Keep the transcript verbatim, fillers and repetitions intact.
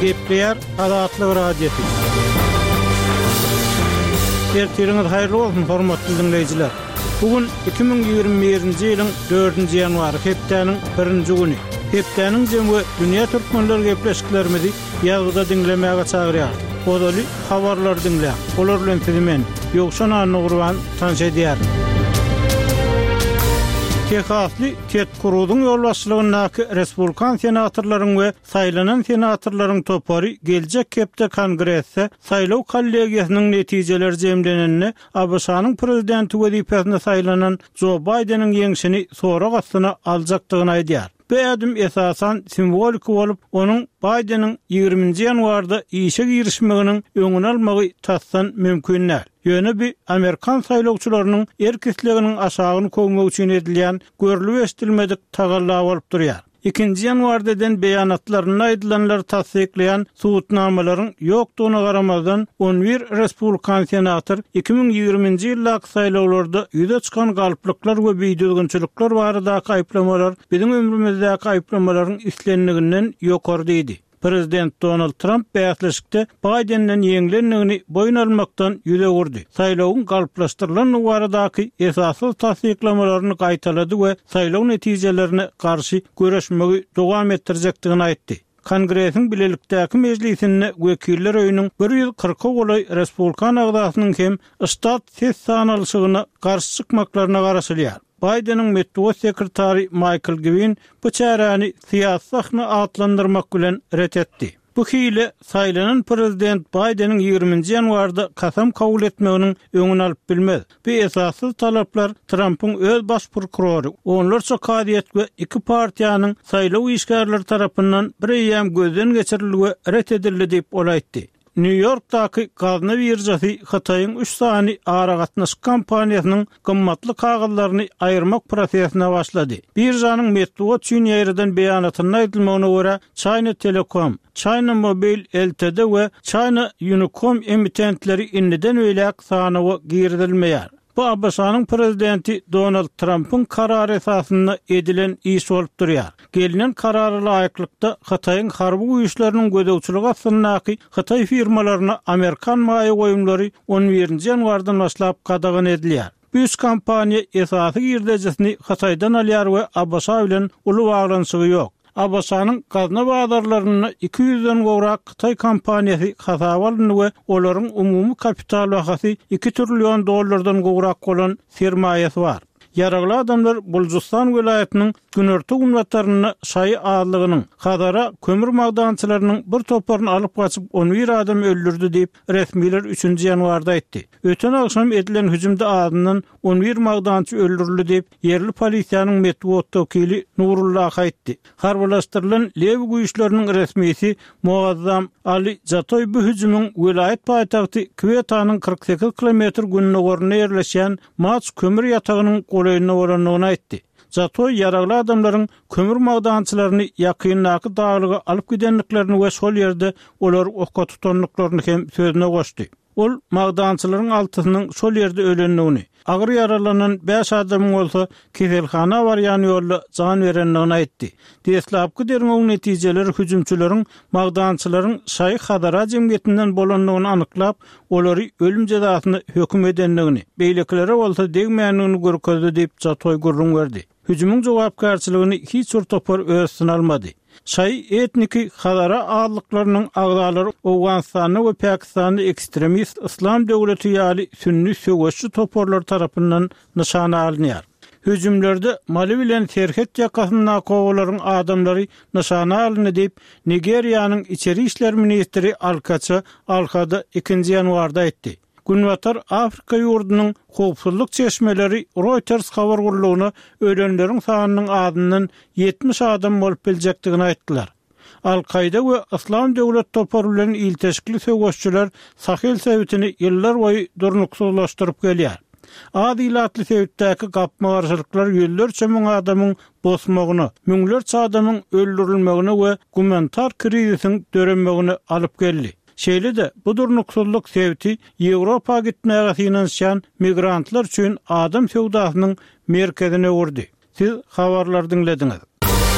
Gepleýär Azatlyk Radiosy. Ertiriňiz haýyrly bolsun, hormatly diňleýjiler. Bu gün iki müň ýigrimi birinji ýylyň dördünji ýanwary, hepdäniň birinji güni. Hepdäniň jemi we dünýä türkmenleri gepleşiklerimizi ýazgyda diňlemäge çagyrýarys. Ozaly habarlary diňläň. Olar bilen sizi men, Ýowşan Annagurban, tanyş edýärin. Tehasly Ted Kruzyň ýolbaşçylygyndaky respublikan senatorlaryň we saýlanan senatorlaryň topary geljek hepde Kongresde saýlaw kollegiýasynyň netijeleri jemlenende A B Ş-nyň prezidenti wezipesine saýlanan Jo Baýdeniň ýeňşini sorag astyna aljakdygyny aýdýar. Bu ädim esasan simwolik bolup, onuň Baýdeniň ýigriminji ýanwarda işe girişmeginiň öňüni almagy tasdan mümkin däl. Ýöne bu Amerikan saýlawçylarynyň erk isleginiň aşagyny kowmak üçin edilýän görlüp eşidilmedik tagalla bolup durýar. Ikinji ýanwarda eden beýanatlarynda aýdylanlary tassyklaýan subutnamalaryň ýokdugyna garamazdan, on bir respublikan senator iki müň ýigriminji ýyldaky saýlawlarda ýüze çykan galplyklar we bidüzgünçilikler baradaky aýyplamalar biziň ömrümizdäki aýyplamalaryň islendiginden ýokary diýdi. Prezident Donald Trump bäsleşikde Baýdenden ýeňlendigini boýun almakdan ýüz öwürdi. Saýlawyň galplaşdyrylandygy baradaky esassyz tassyklamalaryny gaýtalady we saýlaw netijelerine garşy göreşmegi dowam etdirjekdigini aýtdy. Kongresiň bilelikdäki mejlisinde wekiller öýüniň bir ýüz kyrka golaý respublikan agzasynyň hem ştat ses sanalyşygyna garşy çykmaklaryna garaşylýar. Baýdeniň metbugat sekretary Maýkl Gwin bu çäräni syýasy sahna atlandyrmak bilen ret etdi. Bu hile saýlanan prezident Baýdeniň ýigriminji ýanwarda kasam kabul etmeginiň öňüni alyp bilmez. Bu esassyz talaplar Trumpyň öz baş prokurory, onlarça kazyýet we iki partiýanyň saýlaw işgärleri tarapyndan bir eýýäm gözden geçirildi we ret edildi diýip ol aýtdy. Nýu-Ýorkdaky gazna biržasy Hytaýyň üç sany aragatnaşyk kompaniýasynyň gymmatly kagyzlaryny aýyrmak prosesine başlady. Biržanyň metbugat üçin ýaýradan beýanatynda aýdylmagyna görä, China Telecom, China Mobile L T D we China Unicom emitentleri indiden beýläk sanawa girizilmeýär. Bu A B Ş-nyň prezidenti Donald Trumpyň karary esasynda edilen iş bolup durýar. Gelinen karara laýyklykda Hytaýyň harby güýçleriniň gözegçiligi astyndaky Hytaý firmalaryna Amerikan maýa goýumlary on birinji ýanwardan başlap gadagan edilýär. Bu üç kompaniýa esasy girdejisini Hytaýdan alýar we A B Ş bilen uly baglanyşygy ýok. A B Ş-nyň gazna bazarlarynda iki ýüzden gowrak Hytaý kompaniýasy hasaba alyndy we olaryň umumy kapital bahasy iki trillion dollardan gowrak bolan sermaýasy bar. Ýaragly adamlar Buljustan welaýatynyň günorta günbatarynda şaýy azlygynyň Hazara kömür magdançylarynyň bir toparyny alyp gaçyp on bir adam öldürdi diýip resmiler üçünji ýanwarda aýtdy. Öten agşam edilen hüjümde azyndan on bir magdançy öldürildi diýip ýerli polisiýanyň metbugat wekili Nurullah aýtdy. Harbylaşdyrylan Lewi güýçleriniň resmisi Muazzam Ali Jatoý bu hüjümiň welaýat paýtagty Kwetanyň kyrk sekiz kilometr gündogarynda ýerleşýän Maç kömür ýatagynyň golaýynda bolandygyny aýtdy. Jatoý ýaragly adamlaryň kömür magdançylaryny ýakyndaky daglyga alyp gidendiklerini we şol ýerde olary oka tutandyklaryny hem sözüne goşdy. Ol magdançylaryň altysynyň şol ýerde ölendigini, agyr ýaralanan bäş adamyň bolsa keselhana barýan ýolda jan berendigini aýtdy. Deslapky derňewiň netijeleri hüjümçileriň magdançylaryň Şaýy Hazara jemgyýetinden bolandygyny anyklap, olary ölüm jezasyna höküm edendigini, beýlekilere bolsa degmändigini görkezdi diýip Jatoý gürrüň berdi. Hüjümiň jogapkärçiligini hiç bir topar öz üstüne almady. Şaýy etniki Hazara azlyklarynyň agzalary Owganystanda we Pakistanda ekstremist Islam döwleti ýaly sünni söweşçi toparlar tarapyndan nyşana alynýar. Hüjümlerde Mali bilen serhet ýakasyndaky obalaryň adamlary nyşana alyndy diýip Nigeriýanyň içeri işler ministri Alkaça Alhada ikinji ýanwarda aýtdy. Günbatar Afrika ýurdunyň howpsuzlyk çeşmeleri Reuters habar gullugyna ölenleriň sanynyň azyndan ýetmiş adam bolup biljekdigini aýtdylar. Al-Kaýda we Islam döwlet topary bilen ilteşikli söweşçiler Sahel sebitini ýyllar boýy durnuksyzlaşdyryp gelýär. Az ilatly sebitdäki gapma-garşylyklar ýüzlerçe müň adamyň bosmagyna, müňlerçe adamyň öldürilmegine we gumanitar krizisiň döremegine alyp geldi. Şeýle-de bu durnuksyzlyk sebiti Ýewropa gitmäge synanyşýan migrantlar üçin adam söwdasynyň merkezine öwürdi. Siz habarlary diňlediňiz.